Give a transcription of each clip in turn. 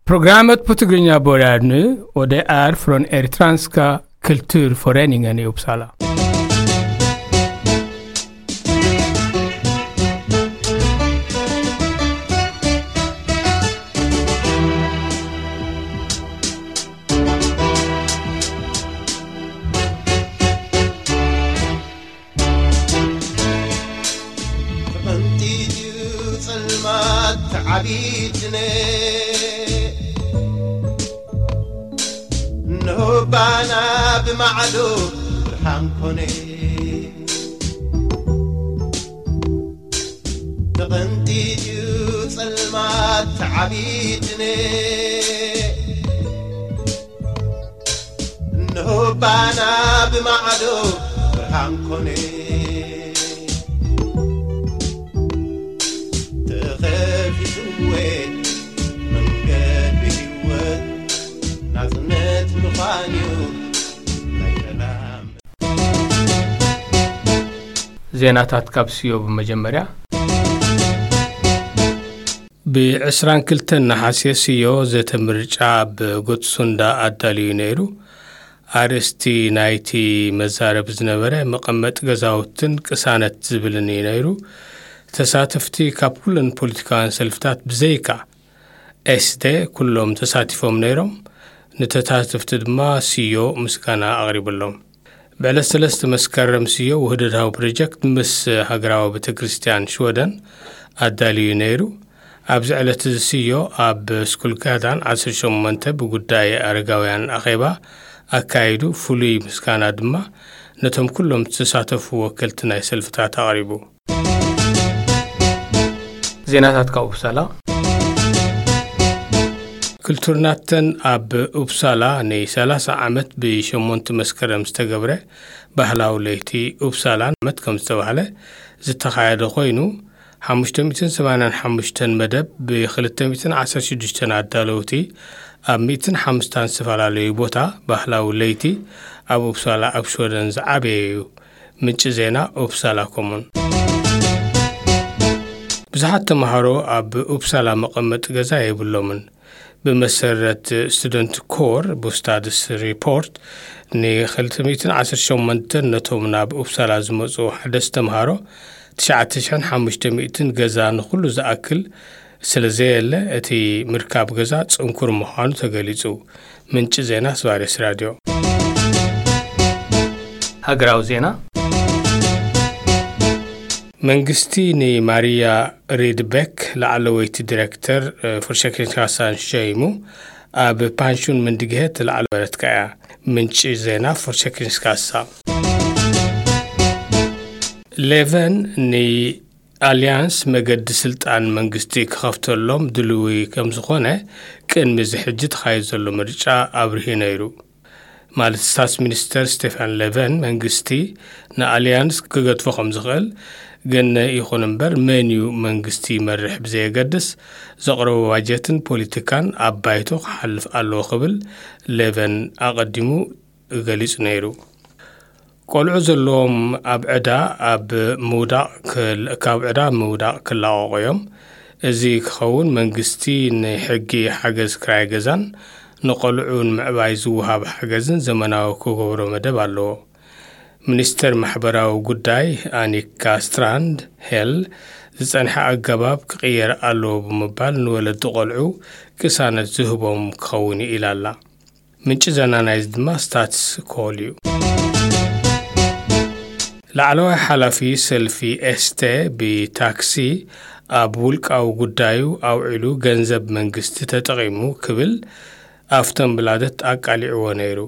Programmet på Tigrinya börjar nu och det är från Eritreanska kulturföreningen i Uppsala. ተቐንጢጥዩ ጸልማት ተዓቢትነ፣ እንሆ ባና ብማዕዶ ብርሃን ኮነ። ተቐንጢጥዩ ጸልማት ተዓቢትነ፣ እንሆ ባና ብማዕዶ ብርሃን ኮነ። ተኸፊትወ መንገዲ ህይወት ናጽነት ምዃንዩ ናይ ሰላም። ዜናታት ካብ ስዮ ብመጀመርያ። ብ22 ነሓሴ ስዮ ዘተ ምርጫ ኣብ ጎትሱንዳ ኣዳልዩ ነይሩ። ኣርእስቲ ናይቲ መዛረብ ዝነበረ መቐመጢ ገዛውትን ቅሳነት ዝብልን እዩ ነይሩ። ተሳተፍቲ ካብ ኩለን ፖለቲካውያን ሰልፍታት ብዘይካ ኤስደ ኩሎም ተሳቲፎም ነይሮም። ንተሳተፍቲ ድማ ስዮ ምስጋና ኣቕሪብሎም። ብዕለት ሰለስተ መስከረም ስዮ ውህደታዊ ፕሮጀክት ምስ ሃገራዊ ቤተክርስትያን ሽወደን ኣዳልዩ ነይሩ። ኣብዚ ዕለት እዚ ስዮ ኣብ ስኩል ጋዳን 18 ብጉዳይ ኣረጋውያን ኣኼባ ኣካይዱ። ፍሉይ ምስጋና ድማ ነቶም ኩሎም ዝተሳተፉ ወከልቲ ናይ ሰልፍታት ኣቕሪቡ። ዜናታት ካብ ኡፕሳላ። ክልቱርናተን ኣብ ኡፕሳላ ን30 ዓመት ብ8 መስከረም ዝተገብረ ባህላዊ ለይቲ ኡፕሳላ ዓመት ከም ዝተባህለ ዝተኻየደ ኮይኑ፣ 585 መደብ ብ216 ኣዳለውቲ ኣብ 150 ዝተፈላለዩ ቦታ ባህላዊ ለይቲ ኣብ ኡፕሳላ ኣብ ሽወደን ዝዓበየ እዩ። ምንጪ ዜና ኡፕሳላ ኮሙን። ብዙሓት ተምሃሮ ኣብ ኡፕሳላ መቐመጢ ገዛ የብሎምን። ብመሰረት ስቱደንት ኮር ቡስታድስ ሪፖርት፣ ን218 ነቶም ናብ ኡፕሳላ ዝመጹ ሓደስቲ ተምሃሮ 9,500 ገዛ ንኹሉ ዝኣክል ስለ ዘየለ፣ እቲ ምርካብ ገዛ ጽንኩር ምዃኑ ተገሊጹ። ምንጪ ዜና ስባሬስ ራድዮ። ሃገራዊ ዜና። መንግስቲ ንማርያ ሪድበክ ላዕለወይቲ ዲሬክተር፣ እ፣ ፎርሸክንካሳን ሸይሙ ኣብ ፓንሹን ምንድግሄት ላዕለ በረትካ እያ። ምንጪ ዜና ፎርሸክንስካሳ። ሌቨን ንኣልያንስ መገዲ ስልጣን መንግስቲ ክኸፍተሎም ድልዊ ከም ዝኾነ ቅድሚ እዚ ሕጂ ተኻይዱ ዘሎ ምርጫ ኣብሪሁ ነይሩ። ማለት ስታትስ ሚኒስተር ስቴፋን ሌቨን መንግስቲ ንኣልያንስ ክገድፎ ከም ዝኽእል፣ ግን ይኹን እምበር መን እዩ መንግስቲ ይመርሕ ብዘየገድስ ዘቕረቦ ባጀትን ፖለቲካን ኣብ ባይቶ ክሓልፍ ኣለዎ ክብል ሌቨን ኣቐዲሙ ገሊጹ ነይሩ። ቆልዑ ዘለዎም ኣብ ዕዳ ኣብ ምውዳቕ ክል-፣ ካብ ዕዳ ምውዳቕ ክላቐቑ እዮም። እዚ ክኸውን መንግስቲ ንሕጊ ሓገዝ ክራይ ገዛን ንቆልዑ ንምዕባይ ዝወሃብ ሓገዝን ዘመናዊ ክገብሮ መደብ ኣለዎ። ሚኒስተር ማሕበራዊ ጉዳይ ኣኒካ ስትራንድ ሄል ዝጸንሐ ኣገባብ ክቕየር ኣለዎ ብምባል ንወለዲ ቆልዑ ቅሳነት ዝህቦም ክኸውን እዩ ኢላ ኣላ። ምንጪ ዜና ናይዚ ድማ ስታትስ ኮል እዩ። ላዕለዋይ ሓላፊ ሰልፊ ኤስተ ብታክሲ ኣብ ውልቃዊ ጉዳዩ ኣውዒሉ ገንዘብ መንግስቲ ተጠቒሙ ክብል ኣፍተን ብላደት ኣቃሊዕዎ ነይሩ።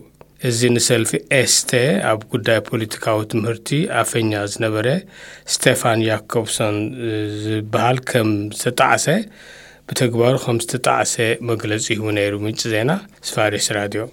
እዚ ንሰልፊ ኤስተ ኣብ ጉዳይ ፖለቲካዊ ትምህርቲ ኣፈኛ ዝነበረ ስቴፋን ያኮብሶን ዝበሃል ከም ዝተጣዕሰ፣ ብተግባሩ ከም ዝተጣዕሰ መግለጺ ሂቡ ነይሩ። ምንጪ ዜና ስፋሪስ ራድዮ።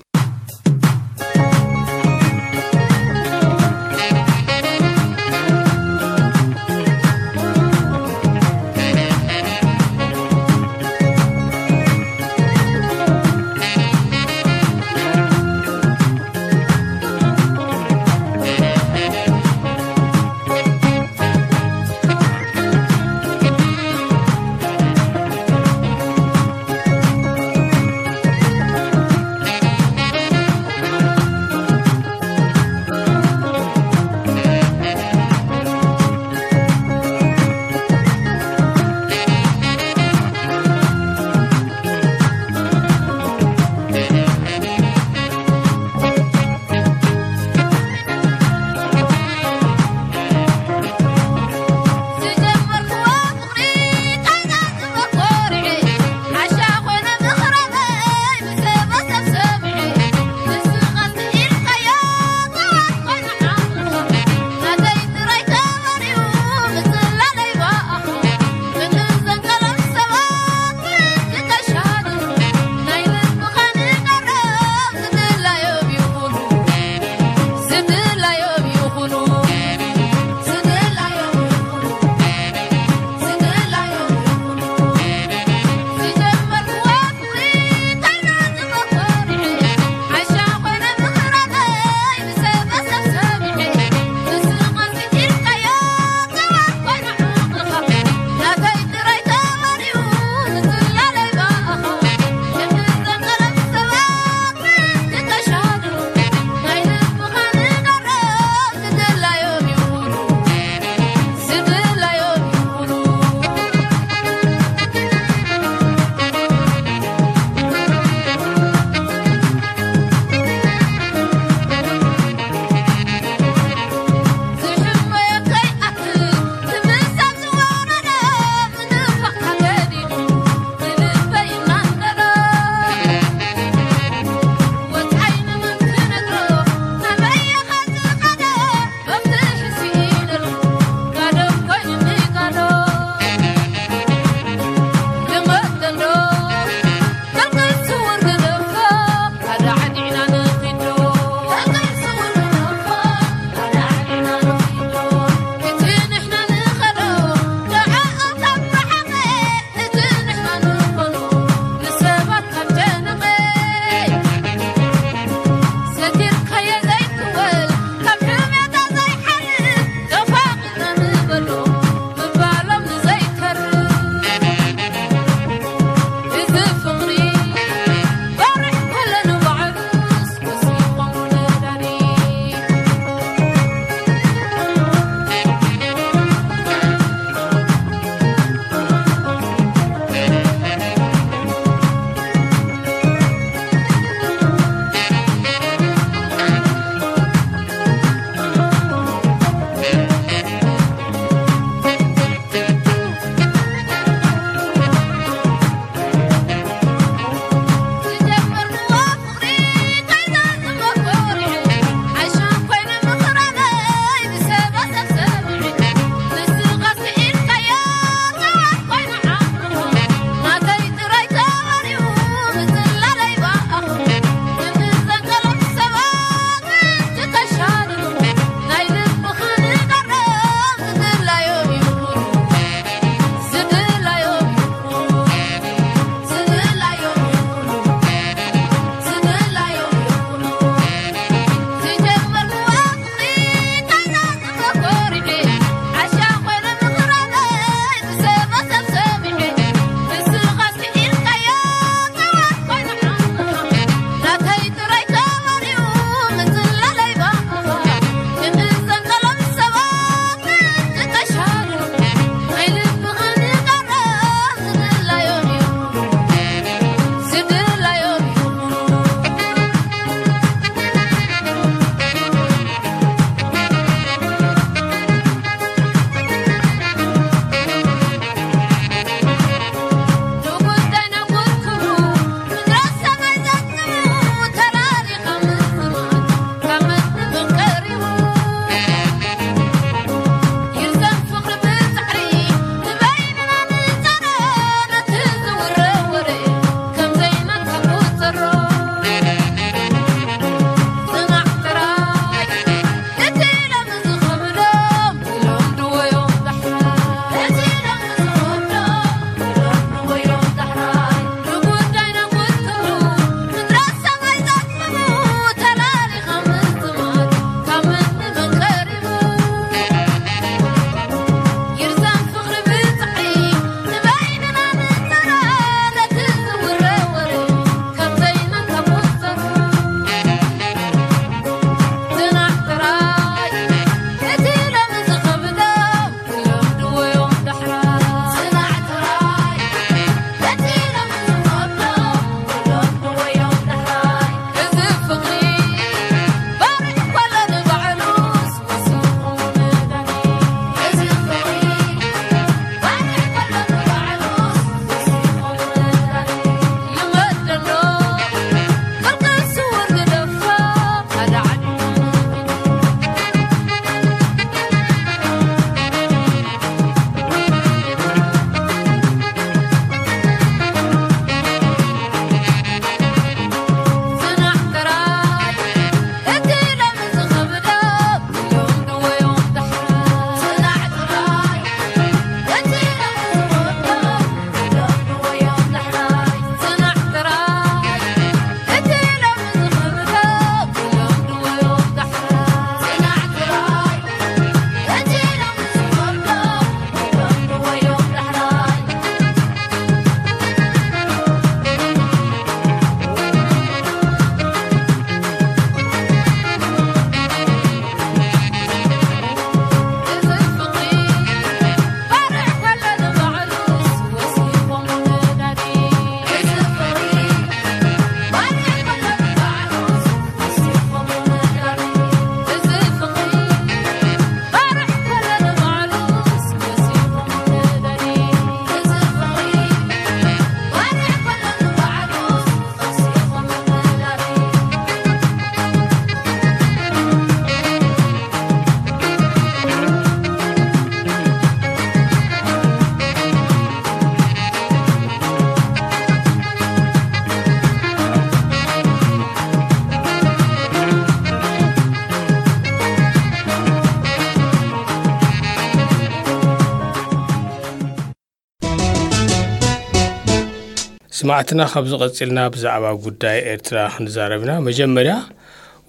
ስማዕትና፣ ካብዚ ቀጺልና ብዛዕባ ጉዳይ ኤርትራ ክንዛረብ ኢና። መጀመርያ፣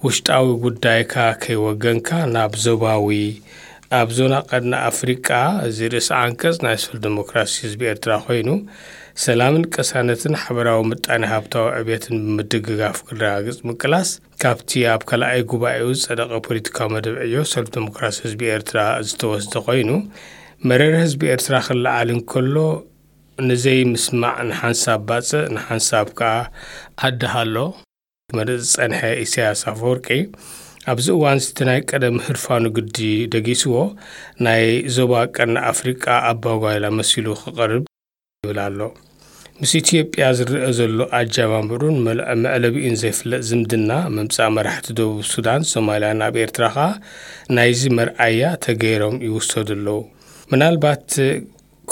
ውሽጣዊ ጉዳይካ ከይወገንካ ናብ ዞባዊ፣ ኣብ ዞና ቀርኒ ኣፍሪቃ፣ እዚ ርእሲ ዓንቀጽ ናይ ስፍል ዲሞክራሲ ህዝቢ ኤርትራ ኮይኑ፣ ሰላምን ቅሳነትን ሓበራዊ ምጣኔ ሃብታዊ ዕብየትን ብምድግጋፍ ክረጋግጽ ምቅላስ፣ ካብቲ ኣብ ካልኣይ ጉባኤኡ ዝጸደቐ ፖለቲካዊ መደብ ዕዮ ሰልፍ ዲሞክራሲ ህዝቢ ኤርትራ ዝተወስደ ኮይኑ፣ መረረ ህዝቢ ኤርትራ ክለዓል እንከሎ፣ ንዘይምስማዕ ንሓንሳብ ባጽዕ፣ ንሓንሳብ ከኣ ዓዲ ሃሎ ክመርጽ ዝጸንሐ ኢሳያስ ኣፈወርቂ፣ ኣብዚ እዋን እቲ ናይ ቀደም ህርፋኑ ግዲ ደጊስዎ፣ ናይ ዞባ ቀርኒ ኣፍሪቃ ኣባጓይላ መሲሉ ክቐርብ ይብል ኣሎ። ምስ ኢትዮጵያ ዝረኣ ዘሎ ኣጀማምሩን መል-፣ መዕለቢኡን ዘይፍለጥ ዝምድና፣ ምምጻእ መራሕቲ ደቡብ ሱዳን፣ ሶማልያ ናብ ኤርትራ ከኣ ናይዚ መርኣያ ተገይሮም ይውሰዱ ኣለዉ። ምናልባት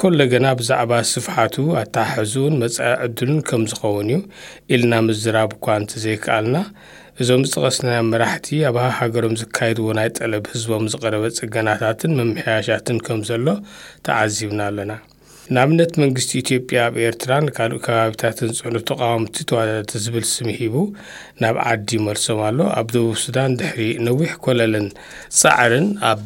ኮለገና ብዛዕባ ስፍሓቱ፣ ኣተሓሕዝኡን መጻኢ ዕድሉን ከም ዝኸውን እዩ ኢልና ምዝራብ እኳ እንተዘይከኣልና፣ እዞም ዝጠቐስናዮም መራሕቲ ኣብ ሃሃገሮም ዝካየድዎ ናይ ጠለብ ህዝቦም ዝቐረበ ጽገናታትን ምምሕያሻትን ከም ዘሎ ተዓዚብና ኣለና። ንኣብነት፣ መንግስቲ ኢትዮጵያ ኣብ ኤርትራን ካልእ ከባቢታትን ዝጸኑ ተቓወምቲ ተዋዳደርቲ ዝብል ስም ሂቡ ናብ ዓዲ ይመልሶም ኣሎ። ኣብ ደቡብ ሱዳን ድሕሪ ነዊሕ ኮለልን ጻዕርን ኣብ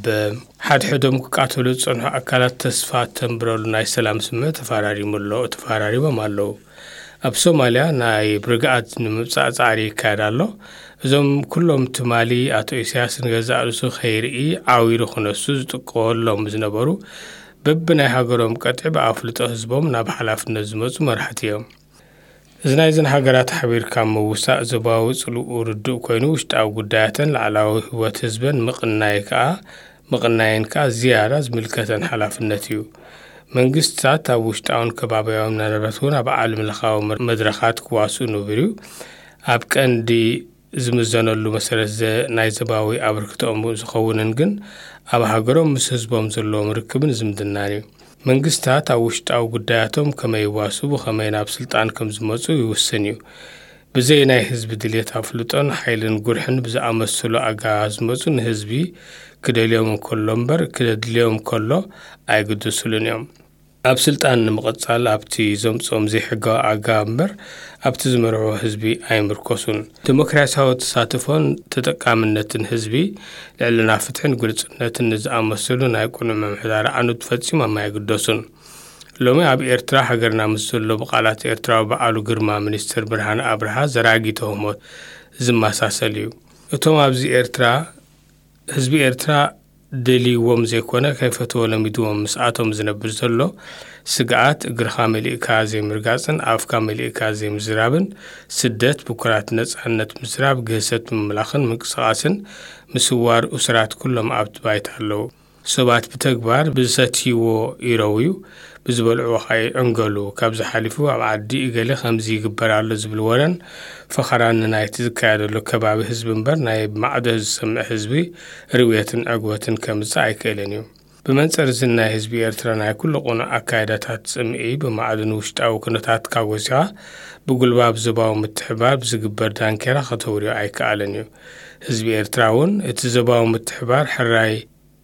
ሓድሕዶም ክቃተሉ ዝጸንሑ ኣካላት ተስፋ ተንብረሉ ናይ ሰላም ስምምዕ ተፈራሪሙ ኣሎ፣ ተፈራሪሞም ኣለዉ። ኣብ ሶማልያ ናይ ብርግኣት ንምምጻእ ጻዕሪ ይካየድ ኣሎ። እዞም ኩሎም ትማሊ ኣቶ ኢሳያስ ንገዛእ ርእሱ ከይርኢ ዓዊሩ ክነሱ ዝጥቀወሎም ዝነበሩ በብናይ ሃገሮም ቀጥዒ ብኣፍልጦ ህዝቦም ናብ ሓላፍነት ዝመጹ መራሕቲ እዮም። እዚ ናይዘን ሃገራት ሓቢርካ ምውሳእ ዞባዊ ጽልኡ ርዱእ ኮይኑ፣ ውሽጣዊ ጉዳያተን ላዕላዊ ህይወት ህዝበን ምቕናይ ከኣ፣ ምቕናየን ከኣ ዝያዳ ዝምልከተን ሓላፍነት እዩ። መንግስትታት ኣብ ውሽጣውን ከባቢያውን፣ ምናልባት እውን ኣብ ዓለም ለኻዊ መድረኻት ክዋስኡ ንቡር እዩ። ኣብ ቀንዲ ዝምዘነሉ መሰረት ዘ-፣ ናይ ዞባዊ ኣበርክቶኦም ዝኸውንን ግን ኣብ ሃገሮም ምስ ህዝቦም ዘለዎም ርክብን ዝምድናን እዩ። መንግስታት ኣብ ውሽጣዊ ጉዳያቶም ከመይ ይዋስቡ፣ ከመይ ናብ ስልጣን ከም ዝመጹ ይውስን እዩ። ብዘይ ናይ ህዝቢ ድልየት ኣፍልጦን ሓይልን ጉርሕን ብዝኣመሰሉ ኣገባባት ዝመጹ ንህዝቢ ክደልዮም እንከሎ እምበር ክደድልዮም ከሎ ኣይግድሱሉን እዮም። ኣብ ስልጣን ንምቕጻል ኣብቲ ዘምጽኦም ዘይሕጋዊ ኣገባብ እምበር ኣብቲ ዝመርሕዎ ህዝቢ ኣይምርኮሱን። ዲሞክራሲያዊ ተሳትፎን ተጠቃምነትን ህዝቢ፣ ልዕልና ፍትሕን ግልጽነትን ንዝኣመሰሉ ናይ ቅኑዕ ምምሕዳር ኣዕኑድ ፈጺሞም ኣይግደሱን። ሎሚ ኣብ ኤርትራ ሃገርና ምስ ዘሎ ብቓላት ኤርትራዊ በዓሉ ግርማ ሚኒስትር ብርሃነ ኣብርሃ ዘራጊ ተህሞት ዝመሳሰል እዩ። እቶም ኣብዚ ኤርትራ ህዝቢ ኤርትራ ደልይዎም ዘይኮነ፣ ከይፈትዎ ለሚድዎም ምስኣቶም ዝነብር ዘሎ ስግኣት፣ እግርኻ መሊእካ ዘይምርጋጽን ኣፍካ መሊእካ ዘይምዝራብን፣ ስደት፣ ብኩራት ነጻነት ምዝራብ፣ ግህሰት ምምላኽን ምንቅስቓስን፣ ምስዋር፣ እሱራት ኩሎም ኣብቲ ባይታ ኣለዉ። ሰባት ብተግባር ብዝሰትይዎ ይረውዩ፣ ብዝበልዕዎ ኸኣ ይዕንገሉ። ካብዚ ሓሊፉ ኣብ ዓዲ እገሌ ከምዚ ይግበር ኣሎ ዝብል ወረን ፈኸራን ንናይቲ ዝካየደሉ ከባቢ ህዝቢ እምበር ናይ ማዕዶ ዝሰምዕ ህዝቢ ርውየትን ዕግበትን ከምጽእ ኣይክእልን እዩ። ብመንጽር እዚ ናይ ህዝቢ ኤርትራ ናይ ኩሉ ቅኑዕ ኣካይዳታት ጽምኢ ብማዕዶ ንውሽጣዊ ኩነታትካ ጎሲኻ ብጉልባብ ዞባዊ ምትሕባር ብዝግበር ዳንኬራ ከተውርዮ ኣይከኣልን እዩ። ህዝቢ ኤርትራ እውን እቲ ዞባዊ ምትሕባር ሕራይ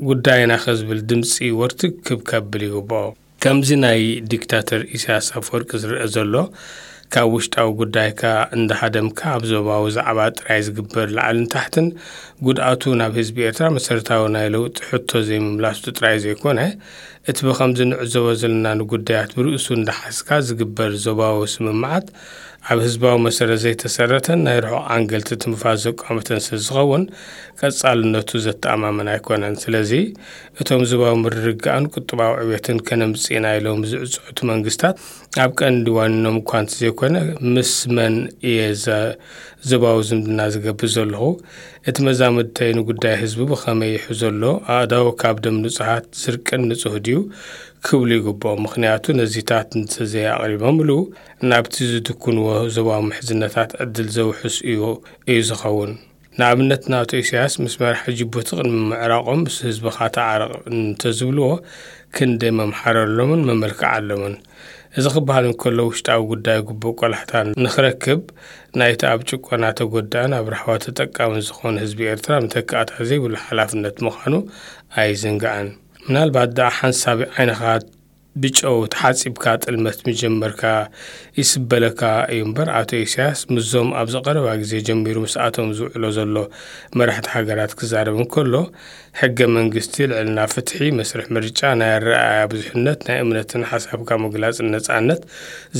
ጉዳይና ከዝብል ድምጺ ወርትግ ክብ ከብል ይግብኦ። ከምዚ ናይ ዲክታተር ኢሳያስ ኣፈወርቂ ዝረኣ ዘሎ፣ ካብ ውሽጣዊ ጉዳይካ እንዳሃደምካ ኣብ ዞባዊ ዛዕባ ጥራይ ዝግበር ላዕልን ታሕትን፣ ጉድኣቱ ናብ ህዝቢ ኤርትራ መሰረታዊ ናይ ለውጢ ሕቶ ዘይምምላሱ ጥራይ ዘይኮነ፣ እቲ ብኸምዚ ንዕዘቦ ዘለና ንጉዳያት ብርእሱ እንዳሓዝካ ዝግበር ዞባዊ ስምምዓት ኣብ ህዝባዊ መሰረት ዘይተሰረተን ናይ ርሑቕ ዓንገልቲ ትንፋስ ዘቋመተን ስለ ዝኸውን፣ ቀጻልነቱ ዘተኣማምን ኣይኮነን። ስለዚ፣ እቶም ዞባዊ ምርግጋእን ቁጠባዊ ዕብየትን ከነምጽእ ኢና ኢሎም ዝዕጽዕቱ መንግስታት፣ ኣብ ቀንዲ ዋኒኖም እኳ እንተዘይኮነ፣ ምስ መን እየ ዘ-፣ ዞባዊ ዝምድና ዝገብር ዘለኹ? እቲ መዛምድተይ ንጉዳይ ህዝቢ ብኸመይ ይሕዞ ኣሎ? ኣእዳዉ ካብ ደም ንጹሃት ስርቅን ንጹህ ድዩ? ክብሉ ይግብኦም። ምኽንያቱ፣ ነዚታት እንተዘይኣቕሪቦምሉ፣ ናብቲ ዝድኩንዎ ዞባዊ ምሕዝነታት ዕድል ዘውሕስ እዩ፣ እዩ ዝኸውን። ንኣብነት፣ ንኣቶ ኢሳያስ ምስ መራሒ ጅቡቲ ቅድሚ ምዕራቖም፣ ምስ ህዝብኻ ተዓረቕ እንተዝብልዎ፣ ክንደይ መምሓረሎምን መመልክዓሎምን። እዚ ክበሃል እንከሎ፣ ውሽጣዊ ጉዳይ ግቡእ ቆላሕታ ንኽረክብ፣ ናይቲ ኣብ ጭቆና ተጎዳእን ኣብ ራህዋ ተጠቃምን ዝኾነ ህዝቢ ኤርትራ መተካእታ ዘይብሉ ሓላፍነት ምዃኑ ኣይዝንጋዕን። ምናልባት ደኣ ሓንሳብ ዓይንኻ ብጨው ተሓጺብካ ጥልመት ምጀመርካ ይስበለካ እዩ እምበር፣ ኣቶ ኢሳያስ ምስዞም ኣብዚ ቀረባ ግዜ ጀሚሩ ምስኣቶም ዝውዕሎ ዘሎ መራሕቲ ሃገራት ክዛረብ እንከሎ፣ ሕገ መንግስቲ፣ ልዕልና ፍትሒ፣ መስርሕ ምርጫ፣ ናይ ኣረኣእያ ብዙሕነት፣ ናይ እምነትን ሓሳብካ ምግላጽን ነጻነት፣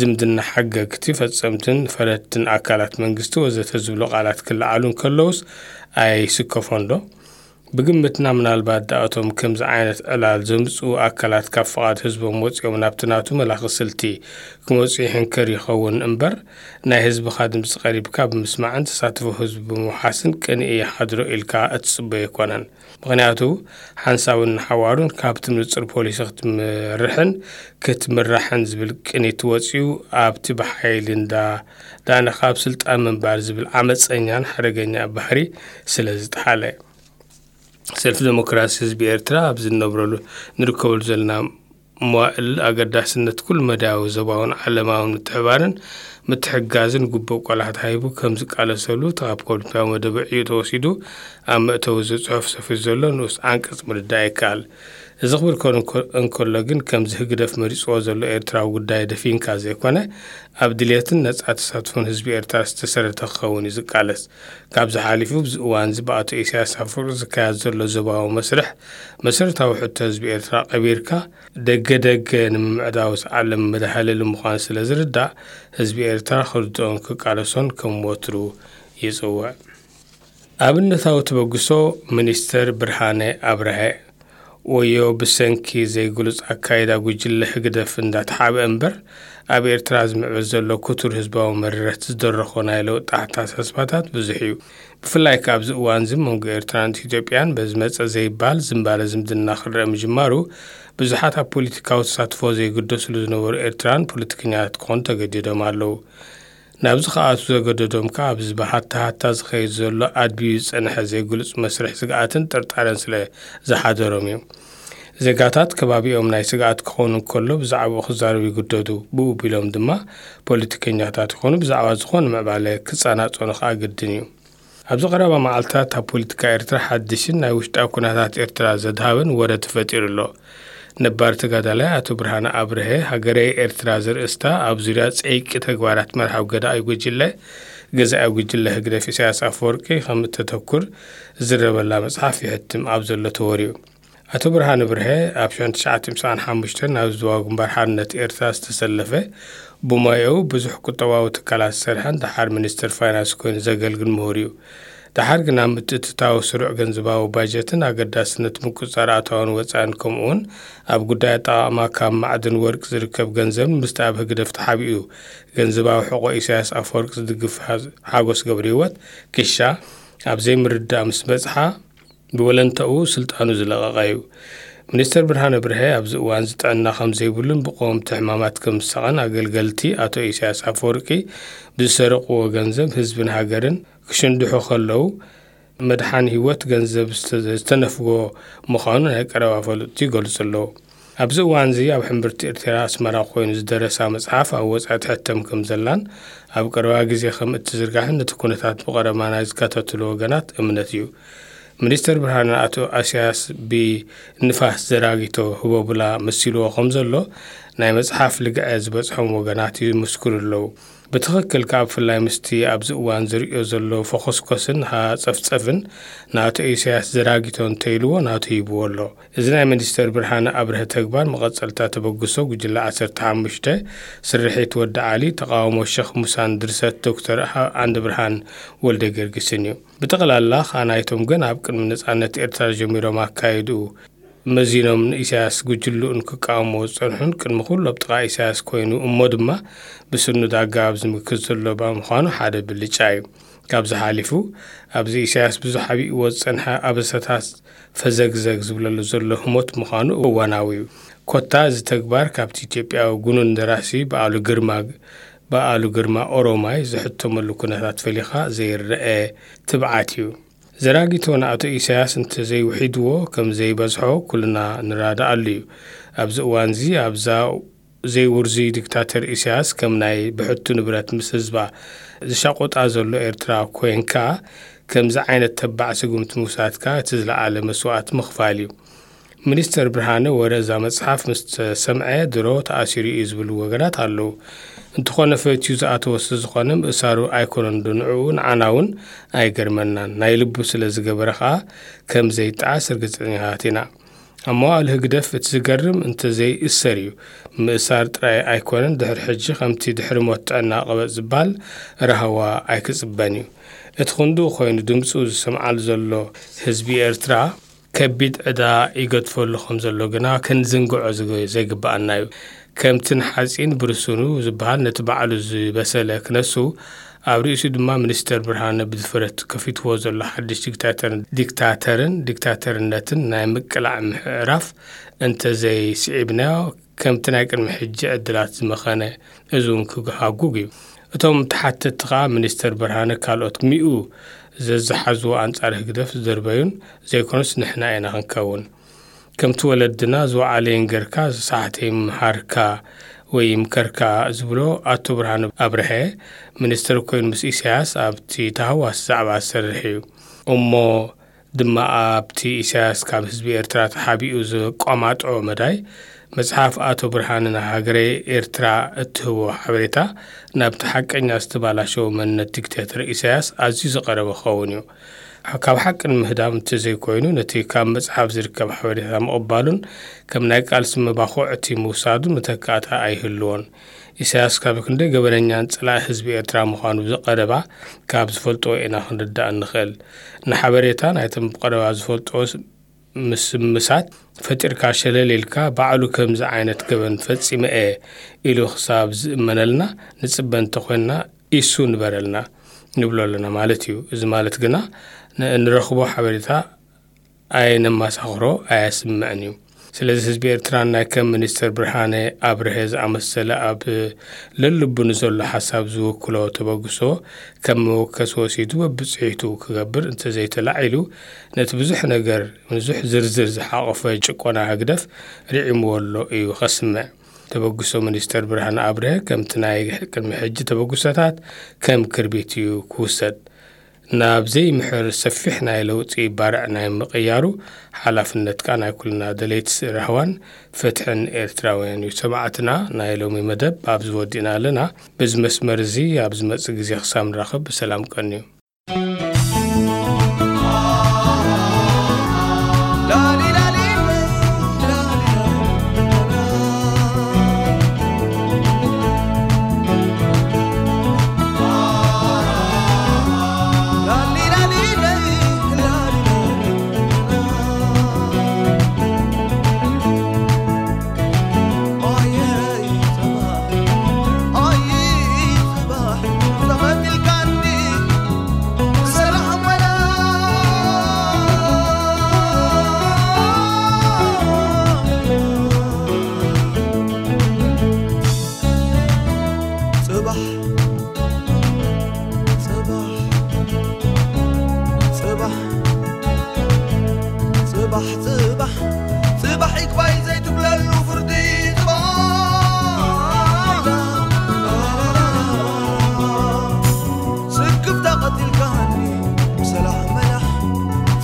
ዝምድና ሓገግቲ፣ ፈጸምትን ፈረድትን ኣካላት መንግስቲ ወዘተ ዝብሉ ቃላት ክለዓሉ እንከለውስ ኣይስከፎን ዶ? ብግምትና ምናልባት ደኣቶም ከምዚ ዓይነት ዕላል ዘምጽኡ ኣካላት ካብ ፍቓድ ህዝቦም ወጺኦም ናብቲ ናቱ መላኺ ስልቲ ክመጹ ይሕንከር ይኸውን እምበር፣ ናይ ህዝብኻ ድምጺ ቀሪብካ ብምስማዕን ተሳትፎ ህዝቢ ብምውሓስን ቅንኢ ይሓድሮ ኢልካ እትጽበዮ ኣይኮነን። ምኽንያቱ ሓንሳብን ንሓዋሩን ካብቲ ንጹር ፖሊሲ ክትመርሕን ክትምራሕን ዝብል ቅኒት ወጺኡ ኣብቲ ብሓይሊ እንዳ ዳነ ካብ ስልጣን ምንባር ዝብል ዓመጸኛን ሓደገኛ ባህሪ ስለ ዝጠሓለ። ሰልፊ ዴሞክራሲ ህዝቢ ኤርትራ ኣብዚ ንነብረሉ ንርከበሉ ዘለና መዋእል ኣገዳስነት ኩሉ መዳያዊ ዞባውን ዓለማውን ምትሕባርን ምትሕጋዝን ግቡእ ቆላሕታ ሂቡ ከም ዝቃለሰሉ እቲ ካብ ፖለቲካዊ መደቡ ዕዩ ተወሲዱ ኣብ መእተዊ እዚ ጽሑፍ ሰፊሩ ዘሎ ንኡስ ዓንቀጽ ምርዳእ ይከኣል። እዚ ክብል ከሎ እንኮ-፣ እንከሎ ግን ከምዚ ህግደፍ መሪጽዎ ዘሎ ኤርትራዊ ጉዳይ ደፊንካ ዘይኮነ ኣብ ድልየትን ነጻ ተሳትፎን ህዝቢ ኤርትራ ዝተሰረተ ክኸውን እዩ ዝቃለስ። ካብዚ ሓሊፉ ኣብዚ እዋን እዚ ብኣቶ ኢሳያስ ኣፈወርቂ ዝካየድ ዘሎ ዞባዊ መስርሕ መሰረታዊ ሕቶ ህዝቢ ኤርትራ ቀቢርካ ደገ ደገ ንምምዕዳው ዝዓለም መድሃለሊ ምዃኑ ስለ ዝርዳእ ህዝቢ ኤርትራ ክርድኦን ክቃለሶን ከም ወትሩ ይጽውዕ። ኣብነታዊ ተበግሶ ሚኒስተር ብርሃነ ኣብርሀ። ወዮ ብሰንኪ ዘይግሉጽ ኣካይዳ ጉጅለ ህግደፍ እንዳተሓብአ እምበር፣ ኣብ ኤርትራ ዝምዕብል ዘሎ ክቱር ህዝባዊ መረረት ዝደረኾ ናይ ለውጢ ኣተሓሳስባታት ብዙሕ እዩ። ብፍላይ ከኣ ኣብዚ እዋን እዚ መንጎ ኤርትራን ኢትዮጵያን በዚ መጸ ዘይበሃል ዝምባለ ዝምድና ክረአ ምጅማሩ፣ ብዙሓት ኣብ ፖለቲካዊ ተሳትፎ ዘይግደስሉ ዝነበሩ ኤርትራን ፖለቲከኛታት ክኾኑ ተገዲዶም ኣለዉ። ናብዚ ክኣትዉ ዘገደዶም ከኣ ኣብዚ ብሃታ ሃታ ዝኸይድ ዘሎ ኣድብዩ ዝጸንሐ ዘይግሉጽ መስርሕ ስግኣትን ጥርጣረን ስለ ዝሓደሮም እዩ። ዜጋታት ከባቢኦም ናይ ስግኣት ክኾኑ እንከሎ ብዛዕባኡ ክዛረቡ ይግደዱ። ብኡ ቢሎም ድማ ፖለቲከኛታት ይኾኑ ብዛዕባ ዝኾነ ምዕባለ ክጸናጸኑ ከኣ ግድን እዩ። ኣብዚ ቀረባ መዓልታት ኣብ ፖለቲካ ኤርትራ ሓድሽን ናይ ውሽጣዊ ኩነታት ኤርትራ ዘድሃበን ወረ ተፈጢሩ ኣሎ። ነባር ተጋዳላይ ኣቶ ብርሃነ ኣብርሀ ሃገረይ ኤርትራ ዘርእስታ ኣብ ዙርያ ጸይቂ ተግባራት መርሃዊ ገዳኢ ጉጅለ፣ ገዛኢ ጉጅለ ህግደፍ ኢሳያስ ኣፈወርቂ ከም እተተኩር ዝረበላ መጽሓፍ ይሕትም ኣብ ዘሎ ተወርዩ። ኣቶ ብርሃነ ብርሀ ኣብ ሸሕን ትሽዓተ ሚእትን ሓሙሽተን ናብ ዞባዊ ግንባር ሓርነት ኤርትራ ዝተሰለፈ፣ ብሞያኡ ብዙሕ ቁጠባዊ ትካላት ዝሰርሐን ደሓር ሚኒስተር ፋይናንስ ኮይኑ ዘገልግል ምሁር እዩ። ደሓር ግና ምትእትታው ስሩዕ ገንዘባዊ ባጀትን ኣገዳስነት ምቁጽጻር ኣታውን ወጻእን ከምኡውን ኣብ ጉዳይ ኣጠቓቕማ ካብ ማዕድን ወርቂ ዝርከብ ገንዘብ ምስቲ ኣብ ህግደፍ ተሓቢኡ ገንዘባዊ ሕቖ ኢሳያስ ኣፈወርቂ ዝድግፍ ሓ-፣ ሓጎስ ገብረህይወት ክሻ ኣብ ዘይምርድዳእ ምስ በጽሓ ብወለንታኡ ስልጣኑ ዝለቐቐ እዩ። ሚኒስተር ብርሃነ ብርሀ ኣብዚ እዋን እዚ ጥዕና ከም ዘይብሉን ብቀወምቲ ሕማማት ከም ዝሳቐን ኣገልገልቲ ኣቶ ኢሳያስ ኣፈወርቂ ብዝሰረቕዎ ገንዘብ ህዝብን ሃገርን ክሽንድሑ ከለዉ መድሓን ህይወት ገንዘብ ዝተ-፣ ዝተነፍጎ ምዃኑ ናይ ቀረባ ፈለጥቲ ይገልጹ ኣለዉ። ኣብዚ እዋን እዚ ኣብ ሕምብርቲ ኤርትራ ኣስመራ ኮይኑ ዝደረሳ መጽሓፍ ኣብ ወጻኢ ትሕተም ከም ዘላን ኣብ ቀረባ ግዜ ከም እትዝርጋሕን ነቲ ኩነታት ብቐረባ ናይ ዝከታተሉ ወገናት እምነት እዩ። ሚኒስተር ብርሃነ ኣቶ ኣስያስ ብንፋስ ዘራጊቶ ህቦብላ መሲልዎ ከም ዘሎ ናይ መጽሓፍ ልግዐ ዝበጽሖም ወገናት ይምስክሩ ኣለዉ። ብትኽክል ከኣ ብፍላይ ምስቲ ኣብዚ እዋን ዝርእዮ ዘሎ ፈኾስኮስን ሃጸፍጸፍን ናቶ ኢሳያስ ዘራጊቶ እንተኢልዎ ናቱ ሂብዎ ኣሎ። እዚ ናይ ሚኒስተር ብርሃነ ኣብርሀ ተግባር መቐጸልታ ተበግሶ ጉጅለ ዓሰርተ ሓሙሽተ ስርሒት ወዲ ዓሊ፣ ተቓውሞ ሸኽ ሙሳን ድርሰት ዶክተር ኣንድ ብርሃን ወልደ ጊዮርጊስን እዩ። ብጠቕላላ ከኣ ናይቶም ገና ኣብ ቅድሚ ነጻነት ኤርትራ ጀሚሮም ኣካይድኡ መዚኖም ንኢሳያስ ጉጅልኡን ክቃወምዎ ዝጸንሑን ቅድሚ ኩሉ ኣብ ጥቓ ኢሳያስ ኮይኑ እሞ ድማ ብስኑድ ኣገባብ ዝምክት ዘሎ ብምዃኑ ሓደ ብልጫ እዩ። ካብዚ ሓሊፉ ኣብዚ ኢሳያስ ብዙሕ ኣቢእዎ ዝጸንሐ ኣበሳታት ፈዘግዘግ ዝብለሉ ዘሎ ህሞት ምዃኑ እዋናዊ እዩ። ኮታ እዚ ተግባር ካብቲ ኢትዮጵያዊ ጉኑን ደራሲ በዓሉ ግርማ፣ በዓሉ ግርማ ኦሮማይ ዝሕተመሉ ኩነታት ፈሊኻ ዘይረአ ትብዓት እዩ። ዘራጊቶ ንኣቶ ኢሳያስ እንተዘይውሒድዎ ከም ዘይበዝሖ ኩልና ንራዳኣሉ እዩ። ኣብዚ እዋን እዚ ኣብዛ ዘይውርዙይ ዲክታተር ኢሳያስ ከም ናይ ብሕቱ ንብረት ምስ ህዝባ ዝሻቆጣ ዘሎ ኤርትራ ኮይንካ ከምዚ ዓይነት ተባዕ ስጉምቲ ምውሳድካ እቲ ዝለዓለ መስዋእቲ ምኽፋል እዩ። ሚኒስተር ብርሃነ ወረ እዛ መጽሓፍ ምስ ተሰምዐ ድሮ ተኣሲሩ እዩ ዝብሉ ወገናት ኣለዉ። እንተኾነ ፈትዩ ዝኣተወ ስለዝኾነ ምእሳሩ ኣይኮነን ዶ ንዕኡ ንዓና እውን ኣይገርመናን። ናይ ልቡ ስለ ዝገበረ ኸኣ ከም ዘይጠዓስ ርግጸኛታት ኢና። ኣብ መዋእል ህግደፍ እቲ ዝገርም እንተዘይእሰር እዩ። ምእሳር ጥራይ ኣይኮነን፣ ድሕሪ ሕጂ ከምቲ ድሕሪ ሞት ጥዕና ቀበጽ ዝበሃል ራህዋ ኣይክጽበን እዩ። እቲ ክንድኡ ኮይኑ ድምጹ ዝሰምዓሉ ዘሎ ህዝቢ ኤርትራ ከቢድ ዕዳ ይገድፈሉ ከም ዘሎ ግና ክንዝንግዖ ዝግ-፣ ዘይግብኣና እዩ። ከምቲ ንሓጺን ብርስኑ ዝበሃል ነቲ ባዕሉ ዝበሰለ ክነሱ፣ ኣብ ርእሲኡ ድማ ሚኒስተር ብርሃነ ብድፍረት ከፊትዎ ዘሎ ሓድሽ ዲክታተር-፣ ዲክታተርን ዲክታተርነትን ናይ ምቅላዕ ምዕራፍ እንተዘይስዒብናዮ፣ ከምቲ ናይ ቅድሚ ሕጂ ዕድላት ዝመኸነ፣ እዚ እውን ክሃጉግ እዩ። እቶም ተሓተትቲ ከኣ ሚኒስተር ብርሃነ ካልኦት ሚኡ ዘዝሓዝዎ ኣንጻር ህግደፍ ዝደርበዩን ዘይኮኑስ ንሕና ኢና ክንከውን። ከምቲ ወለድና ዝወዓለ ይንገርካ፣ ዝሰሓተ ይምሃርካ ወይ ይምከርካ ዝብሎ ኣቶ ብርሃነ ኣብርሀ ሚኒስተር ኮይኑ ምስ ኢሳያስ ኣብቲ ተሃዋሲ ዛዕባ ዝሰርሕ እዩ። እሞ ድማ ኣብቲ ኢሳያስ ካብ ህዝቢ ኤርትራ ተሓቢኡ ዘቋማጥዖ መዳይ መጽሓፍ ኣቶ ብርሃነ ንሃገረ ኤርትራ እትህቦ ሓበሬታ ናብቲ ሓቀኛ ዝተባላሸወ መንነት ዲክቴተር ኢሳያስ ኣዝዩ ዝቐረበ ክኸውን እዩ። ካብ ሓቂ ንምህዳም እንተዘይኮይኑ፣ ነቲ ካብ መጽሓፍ ዝርከብ ሓበሬታ ምቕባሉን ከም ናይ ቃልሲ መባኹዕቲ ምውሳዱ መተካእታ ኣይህልዎን። ኢሳያስ ካብ ክንደይ ገበነኛን ጸላኢ ህዝቢ ኤርትራ ምዃኑ ብዝቐረባ ካብ ዝፈልጥዎ ኢና ክንርዳእ እንኽእል። ንሓበሬታ ናይቶም ብቐረባ ዝፈልጥዎ ምስምሳት ፈጢርካ ሸለል ኢልካ ባዕሉ ከምዚ ዓይነት ገበን ፈጺመ እየ ኢሉ ክሳብ ዝእመነልና ንጽበ እንተኾይንና ኢሱ ንበረልና ንብሎ ኣለና ማለት እዩ። እዚ ማለት ግና ን-፣ እንረኽቦ ሓበሬታ ኣየነማሳኽሮ ኣየስምዕን እዩ። ስለዚ ህዝቢ ኤርትራ ናይ ከም ሚኒስተር ብርሃነ ኣብርሀ ዝኣመሰለ ኣብ ለልቡ ንዘሎ ሓሳብ ዝውክሎ ተበግሶ ከም መወከሲ ወሲዱ በብጽሒቱ ክገብር እንተዘይተላዒሉ ነቲ ብዙሕ ነገር፣ ብዙሕ ዝርዝር ዝሓቖፈ ጭቆና ህግደፍ ርዒምዎ ኣሎ እዩ ከስምዕ። ተበግሶ ሚኒስተር ብርሃነ ኣብርሀ ከምቲ ናይ ቅድሚ ሕጂ ተበግሶታት ከም ክርቢት እዩ ክውሰድ። ናብ ዘይምሕር ሰፊሕ ናይ ለውጢ ባርዕ ናይ ምቕያሩ ሓላፍነትካ ናይ ኩልና ደለይቲ ራህዋን ፍትሕን ኤርትራውያን እዩ። ሰማዕትና፣ ናይ ሎሚ መደብ ኣብዚ ወዲእና ኣለና። በዚ መስመር እዚ ኣብ ዝመጽእ ግዜ ክሳብ ንራኸብ ብሰላም ቀንዩ። ጽባሕ፣ ጽባሕ፣ ጽባሕ፣ ጽባሕ፣ ጽባሕ፣ ጽባሕ ይግባይ ዘይትብለሉ ፍርዲ ጽባሕ። ስክፍታ ቀቲልካኒ ብሰላሕ መላሕ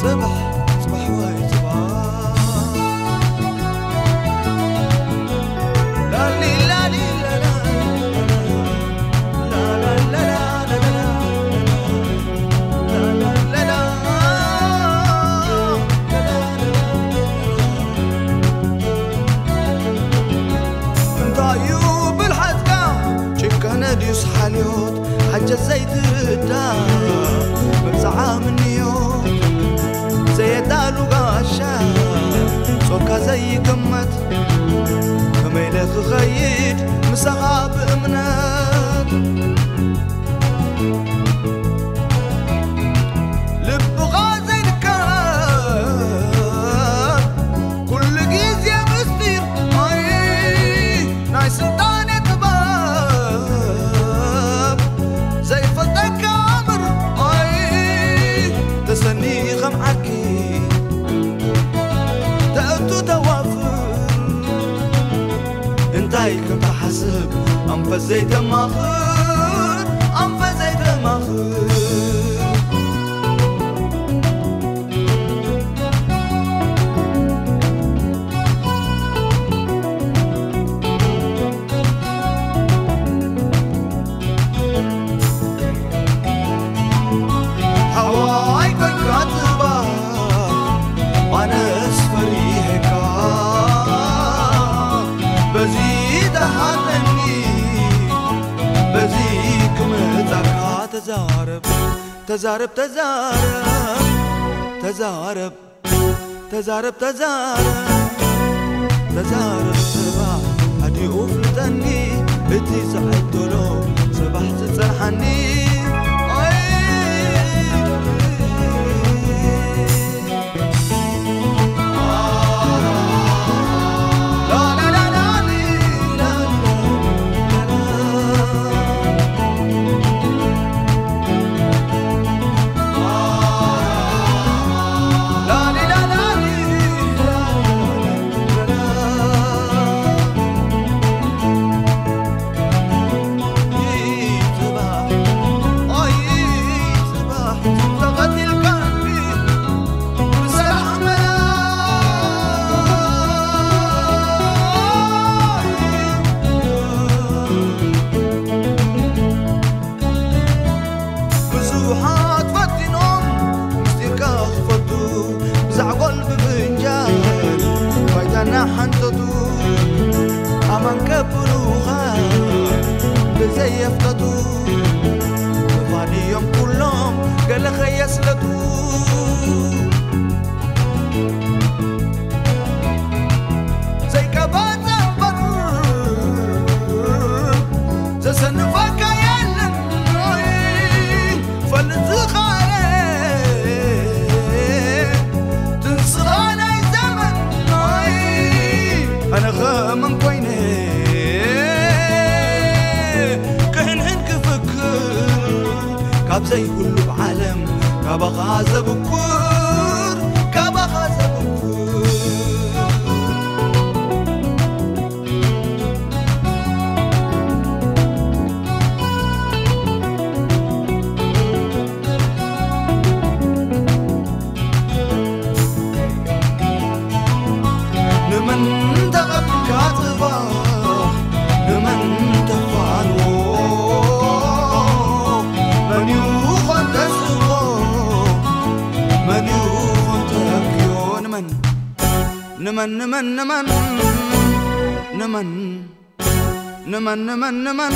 ጽባሕ፣ ጽባሕ ወይ ጽባሕ። እንታይ እዩ ብልሓትካ? ጭካነ ድዩስ ሓልዮት? ሓጀት ዘይትርዳ መብዛዓ ምንዮት ዘየዳሉ ጋሻ ጾርካ ዘይግመት ከመይ ኢለ ክኸይድ ምሳኻ ብእምነት ልብኻ ዘይንከር ኩሉ ግዜ ምስጢር ኣይ ናይ ስልጣነ ጥበብ ዘይፈልጠካ ኣምር ኣይ ተሰኒ ከም ዓርኪ ተእቱ ተዋፍር እንታይ ከም ትሓስብ ኣንፈት ዘይተማኽር ኣንፈት ዘይተማኽር ተዛረብ፣ ተዛረብ፣ ተዛረብ፣ ተዛረብ፣ ተዛረብ፣ ተዛረብ፣ ተዛረብ፣ ጽባሕ ኣዲኡ ፍልጠኒ፣ እቲ ዝዕደሎ ጽባሕ ዝጸንሓኒ። ኣይ። ብዙሓት ፈቲኖም ምስጢርካ ክፈልጡ፣ ብዛዕጎል ብፍንጃል ባይታና ሓንተቱ፣ ኣማን ከብሉኻ ብዘየፍተቱ፣ ምዃን እዮም ኩሎም ገለ ኸየስለቱ። ዘይቀባጸ እምበር ዘሰንፈካ የለን፣ ፈልጥ ዝኻረ ትንስኻ ናይ ዘመን። ኣነ ኸመን ኮይነ ክሕንሕን ክፍክር ካብ ዘይብሉ ዓለም ካባኻ ዘብኩር፣ ካባኻ ዘብኩር። ንመን ተቐቢልካ ጽባሕ፣ ንመን ተፋንዎ፣ መን ይኾን ተስፎ፣ መን ይኾን ተብክዮ፣ ንመን፣ ንመን፣ ንመን፣ ንመን፣ ንመን፣ ንመን፣ ንመን፣ ንመን፣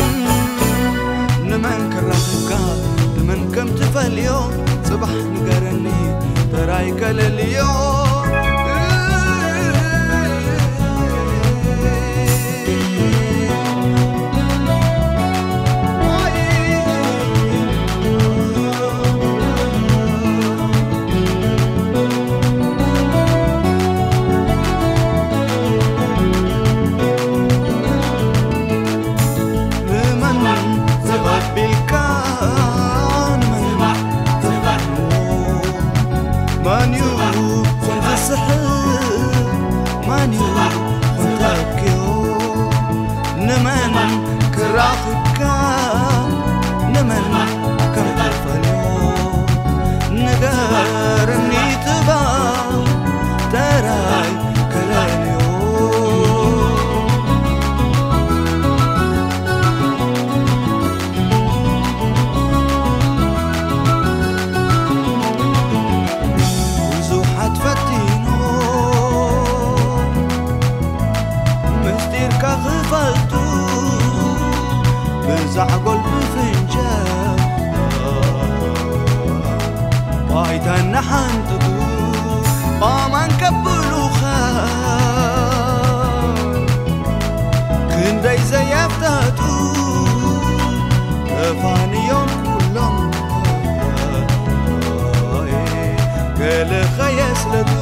ንመን ክራኽብካ፣ ንመን ከም ትፈልዮ፣ ጽባሕ ንገረኒ፣ ተራይ ከለልዮ። ንመን ዘቐቢልካ፣ ንመን ዘቐቢልካ፣ መን እዩ ዝስሕብ፣ መን እዩ ተኪኡ፣ ንመን ክራኽብካ፣ ንመን ከም ትፈልዮ፣ ንገርኒ ትባዕ ተራይ ከለልዮ። ብዙሓት ፈቲኖ ምስጢርካ ክፈልጡ፣ ብዛዕጎል ብፍንጃል ባይታ እናሓንጥጡ፣ ኣማን ከብሉኻ ክንደይ ዘየፍተቱ፣ ተፋንዮም ኩሎም ገለ ኸየስለቱ።